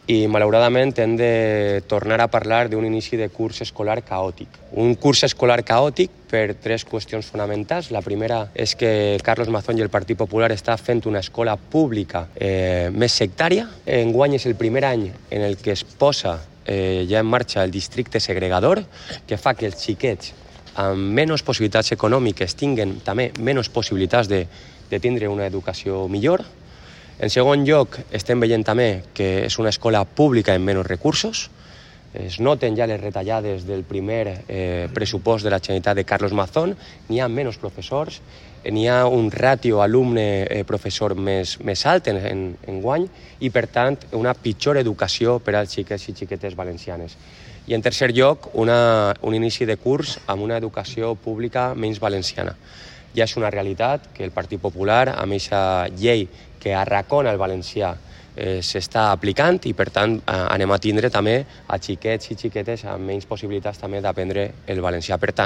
i malauradament hem de tornar a parlar d'un inici de curs escolar caòtic. Un curs escolar caòtic per tres qüestions fonamentals. La primera és que Carlos Mazón i el Partit Popular està fent una escola pública més sectària. Enguany és el primer any en el que es posa ja en marxa el districte segregador, que fa que els xiquets amb menys possibilitats econòmiques tinguen també menys possibilitats de tindre una educació millor. En segon lloc, estem veient també que és una escola pública amb menys recursos. Es noten ja les retallades del primer pressupost de la Generalitat de Carlos Mazón. N'hi ha menys professors, n'hi ha un ràtio alumne-professor més alt enguany i, per tant, una pitjor educació per als xiquets i xiquetes valencianes. I, en tercer lloc, un inici de curs amb una educació pública menys valenciana. Ja és una realitat que el Partit Popular, amb aquesta llei que arracona el valencià, s'està aplicant i, per tant, anem a tindre també a xiquets i xiquetes amb menys possibilitats també d'aprendre el valencià. Per tant,